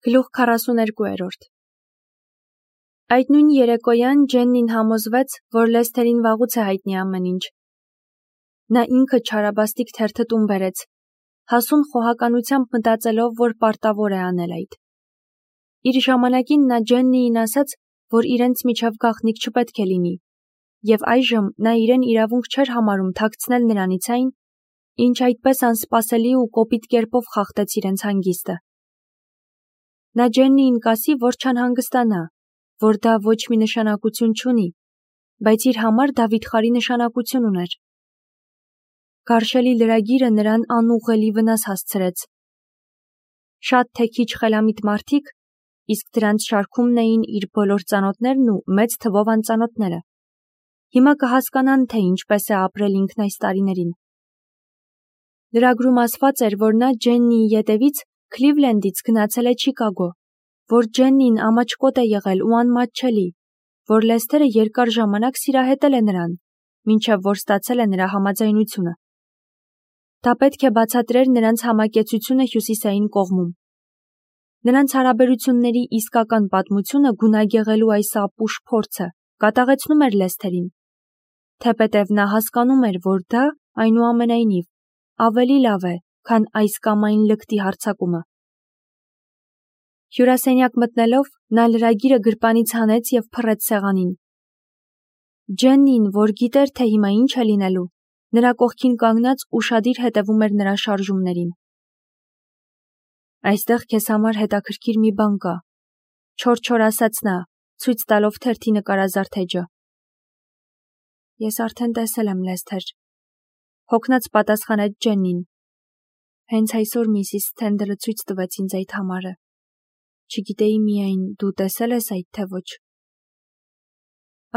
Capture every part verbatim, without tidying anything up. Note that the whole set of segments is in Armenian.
Գլուխ քառասուներկու Այդ նույն երեկոյան Ջեննին համոզվեց, որ Լեսթերին վաղուց է հայտնի ամեն ինչ։ Նա ինքը չարաբաստիկ թերթը տուն բերեց, հասուն խոհականությամբ մտածելով, որ պարտավոր է անել այդ։ Իր ժամանակին նա Ջեննիին ասաց, որ իրենց միջև գաղտնիք չպետք է լինի, և այժմ նա իրեն իրավունք չէր համարում թաքցնել նրանից այն, ինչ այդպես անսպասելի ու կոպիտ կերպով խախտեց իրենց հանգիստը։ Նա Ջեննիին կասի, որ չանհանգստանա, որ դա ոչ մի նշանակություն չունի, բայց իր համար դա վիթխարի նշանակություն ուներ։ Գարշելի լրագիրը նրան անուղղելի վնաս հասցրեց։ Շատ թե քիչ խելամիտ մարդիկ, իսկ դրանց շարքումն էին իր բոլոր ծանոթներն ու մեծ թվով անծանոթները, հիմա կհասկանան, թե ինչպես է ապրել ինքն այս տարիներին։ Լրագրում ասված էր, որ նա Ջեննիի ետևից Քլիվլենդից գնացել է Չիկագո, որ Ջեննին ամաչկոտ է եղել ու անմատչելի, որ Լեսթերը երկար ժամանակ սիրահետել է նրան, մինչև որ ստացել է նրա համաձայնությունը։ Դա պետք է բացատրեր նրանց համակեցությունը հյուսիսային կողմում։ Նրանց հարաբերությունների իսկական պատմությունը գունագեղելու այս ապուշ փորձը կատաղեցնում էր Լեսթերին, թեպետև նա հասկանում էր, որ դա, այնուամենայնիվ, ավելի լավ է, քան այս կամ այն լկտի հարձակումը։ Հյուրասենյակ մտնելով, նա լրագիրը գրպանից հանեց և փռեց սեղանին։ Ջեննին, որ գիտեր, թե հիմա ինչ է լինելու, նրա կողքին կանգնած ուշադիր հետևում էր նրա շարժումներին։ Այստեղ քեզ համար հետաքրքիր մի բան կա, չոր-չոր ասաց նա, ցույց տալով թերթի նկարազարդեջը։ Ես արդեն տեսել եմ, Լեսթեր, հոգնած պատասխանեց Ջեննին։ Հենց այսօր միսիս Սթենդլը ցույց տվեց ինձ այդ համարը։ Չգիտեի միայն, դու տեսել ես այդ, թե ոչ։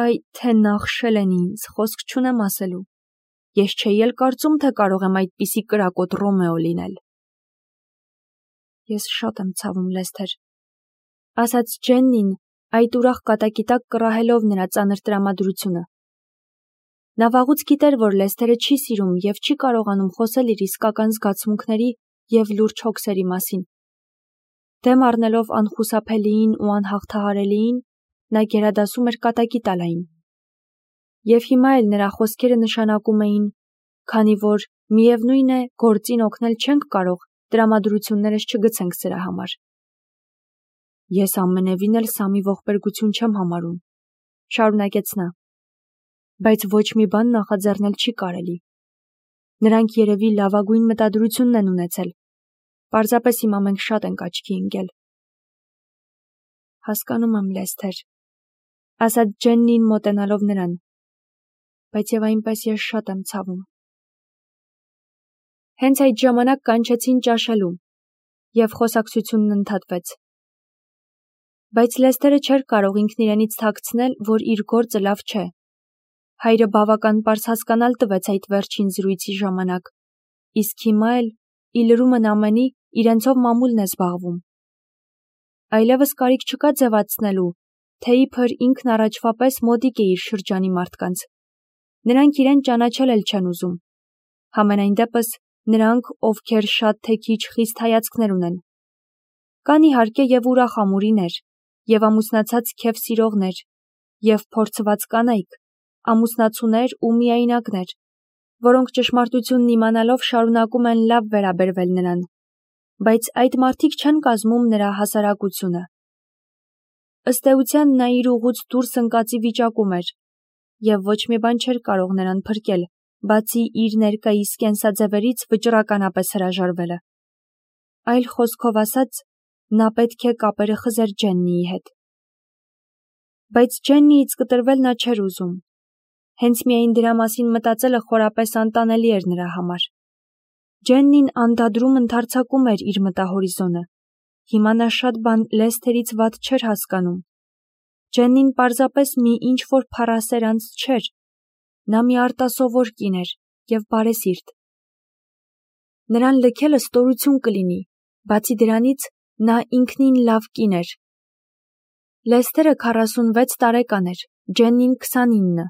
Այ, թե նախշել են ինձ, խոսք չունեմ ասելու։ Ես չէի էլ կարծում, թե կարող եմ այդպիսի կրակոտ Ռոմեո լինել։ Ես շատ եմ ցավում, Լեսթեր, ասաց Ջեննին, այդ ուրախ կատակի տակ կռահելով նրա ծանր տրամադրությունը։ Նա վաղուց գիտեր, որ Լեսթերը չի սիրում և չի կարողանում խոսել իր իսկական զգացմունքների և լուրջ հոգսերի մասին։ Դեմ առնելով անխուսափելիին ու անհաղթահարելիին, նա գերադասում էր կատակի տալ այն։ Եվ հիմա էլ նրա խոսքերը նշանակում էին, քանի որ, միևնույն է, գործին օգնել չենք կարող, տրամադրություններս չգցենք սրա համար։ Ես ամենևին էլ սա մի ողբերգություն չեմ համարում, շարունակեց նա, բայց ոչ մի բան նախաձեռնել չի կարելի։ Նրանք երևի լավագույն մտադրությունն են ունեցել, պարզապես հիմա մենք շատ ենք աչքի ընկել։ Հասկանում եմ, Լեսթեր, ասաց Ջեննին մոտենալով նրան, բայց և այնպես ես շատ եմ ցավում։ Հենց այդ ժամանակ կանչեցին ճաշելու, և խոսակցությունն ընդհատվեց։ Բայց Լեսթերը չէր կարող ինքն իրենից թաքցնել, որ իր գործը լավ չէ։ Հայրը բավական պարզ հասկանալ տվեց այդ վերջին զրույցի ժամանակ, իսկ հիմա էլ, ի լրումն ամենի, իրենցով մամուլն է զբաղվում։ Այլևս կարիք չկա ձևացնելու, թե իբր ինքն առաջվա պես մոտիկ է իր շրջանի մարդկանց։ Նրանք իրեն ճանաչել էլ չեն ուզում։ Համենայն դեպս, նրանք, ովքեր շատ թե քիչ խիստ հայացքներ ունեն։ Կան իհարկե և ուրախ ամուրիներ, և ամուսնացած քեֆ սիրողներ, և փորձված կանայք, ամուսնացուներ ու միայնակներ, որոնք ճշմարտությունն իմանալով շարունակում են լավ վերաբերվել նրան, բայց այդ մարդիկ չեն կազմում նրա հասարակությունը։ Ըստ էության նա իր ուղուց դուրս ընկածի վիճակում էր, և ոչ մի բան չէր կարող նրան փրկել, բացի իր ներկայիս կենսաձևերից վճռականապես հրաժարվելը։ Այլ խոսքով ասած, նա պետք է կապերը խզեր Ջեննիի հետ։ Բայց Ջեննիից կտրվել նա չէր ուզում։ Հենց միայն դրա մասին մտածելը խորապես անտանելի էր նրա համար։ Ջեննին անդադրում ընդարձակում էր իր մտահորիզոնը։ Հիմա նա շատ բան Լեսթերից վատ չէր հասկանում։ Ջեննին պարզապես մի ինչ-որ փառասեր անձ չէր։ Նա մի արտասովոր կին էր և բարեսիրտ։ Նրան լքելը ստորություն կլինի, բացի դրանից, նա ինքնին լավ կին էր։ Լեսթերը քառասունվեց տարեկան էր, Ջեննին քսանինը,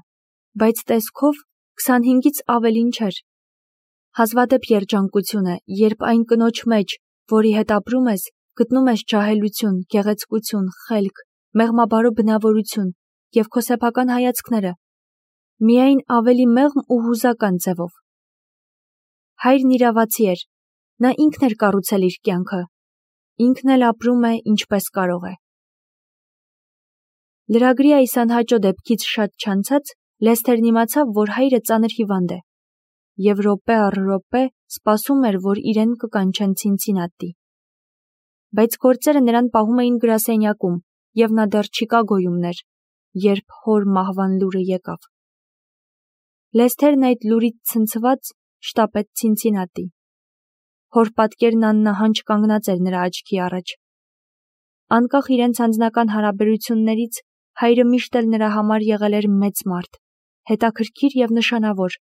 բայց տեսքով քսանհինգից ավելին չէր։ Հազվադեպ երջանկություն է, երբ այն կնոջ մեջ, որի հետ ապրում ես, գտնում ես ջահելություն, գեղեցկություն, խելք, մեղմաբարո բնավորություն և քո սեփական հայացքները, միայն ավելի մեղմ ու հուզական ձևով։ Հայրն իրավացի էր, նա ինքն էր կառուցել իր կյանքը, ինքն էլ ապրում է ինչպես կարող է։ Լրագրի այս անհաճո դեպքից շատ չանցած Լեսթերն իմացավ, որ հայրը ծանր հիվանդ է, և րոպե առ րոպե սպասում էր, որ իրեն կկանչեն Ցինցինատի։ Բայց գործերը նրան պահում էին գրասենյակում, և նա դեռ Չիկագոյում էր, երբ հոր մահվան լուրը եկավ։ Լեսթերն այդ լուրից ցնցված շտապեց Ցինցինատի։ Հոր պատկերն աննահանջ կանգնած էր նրա աչքի առաջ։ Անկախ իրենց անձնական հարաբերություններից, հայրը միշտ էլ նրա համար եղել էր մեծ մարդ, հետաքրքիր և նշանավոր։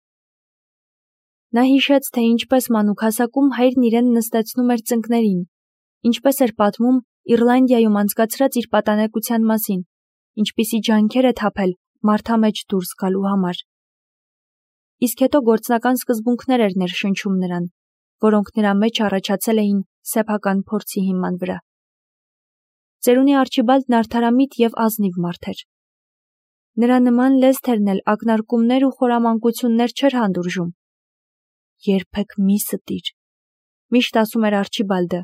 Նա հիշեց, թե ինչպես մանուկ հասակում հայրն իրեն նստեցնում էր ծնկներին, ինչպես էր պատմում Իռլանդիայում անցկացրած իր պատանեկության մասին, ինչպիսի ջանքեր է թափել մարդամեջ դուրս գալու համար։ Իսկ հետո գործնական սկզբունքներ էր ներշնչում նրան, որոնք նրա մեջ առաջացել էին սեփական փորձի հիման վրա։ Ծերունի Արչիբալդն արդարամիտ և ազնիվ մարդ էր։ Նրա նման Լեսթերն էլ ակնարկումներ ու խորամանկություններ չէր հանդուրժում։ «Երբեք մի ստիր», միշտ ասում էր Արչիբալդը,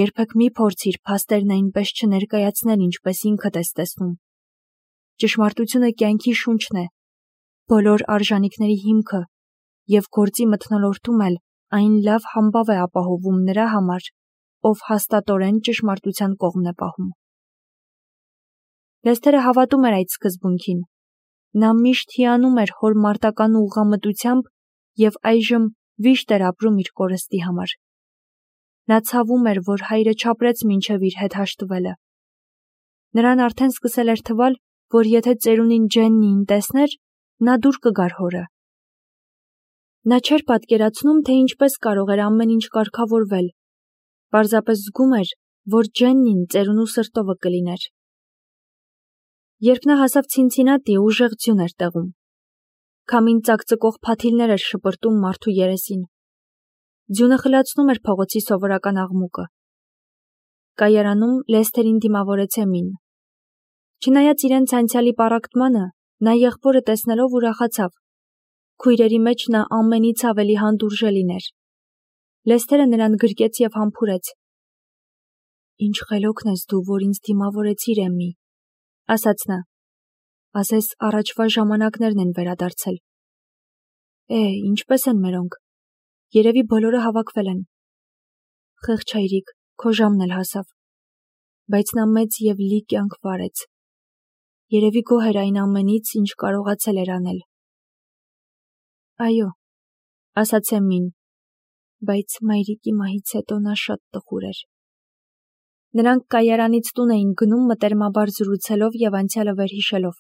«երբեք մի փորձիր փաստերն այնպես չներկայացնել, ինչպես ինքդ ես տեսնում։ Ճշմարտությունը կյանքի շունչն է, բոլոր արժանիքների հիմքը, և գործի մթնոլորտում էլ այն լավ համբավ է ապահովում նրա համար, ով հաստատորեն ճշմարտության կողմն է պահում»։ Լեսթերը հավատում էր այդ սկզբունքին։ Նա միշտ հիանում էր հոր մարտական ուղղամտությամբ և այժմ վիշտ էր ապրում իր կորստի համար։ Նա ցավում էր, որ հայրը չապրեց մինչև իր հետ հաշտվելը։ Նրան արդեն սկսել էր թվալ, որ եթե ծերունին Ջեննիին տեսներ, նա դուր կգար հորը։ Նա չէր պատկերացնում, թե ինչպես կարող էր ամեն ինչ կարգավորվել։ Պարզապես զգում էր, որ Ջեննին ծերունու սրտովը կլիներ։ Երբ նա հասավ Ցինցինատի, ուժեղ ձյուն էր տեղում։ Քամին ծակծկող փաթիլներ էր շպրտում մարդու երեսին։ Ձյունը խլացնում էր փողոցի սովորական աղմուկը։ Կայարանում Լեսթերին դիմավորեց Էմին։ Չնայած իրենց անցյալի պառակտմանը, նա եղբորը տեսնելով ուրախացավ։ Քույրերի մեջ նա ամենից ավելի հանդուրժելին էր։ Լեսթերը նրան գրկեց և համբուրեց։ «Ինչ խելոքն ես դու, որ ինձ դիմավորեցիր, Էմի», ասաց նա։ «Ասես առաջվա ժամանակներն են վերադարձել»։ «Է, ինչպես են մերոնք։ Երևի բոլորը հավաքվել են»։ «Խեղճ հայրիկ, քո ժամն էլ հասավ»։ Բայց նա մեծ և լի կյանք վարեց։ Երևի գոհ էր այն ամենից, ինչ կարողացել էր անել։ «Այո», ասաց Էմին, բայց մայրիկի մահից հետո նա շատ տխուր էր։ Նրանք կայարանից տուն էին գնում մտերմաբար զրուցելով և անցյալը վերհիշելով։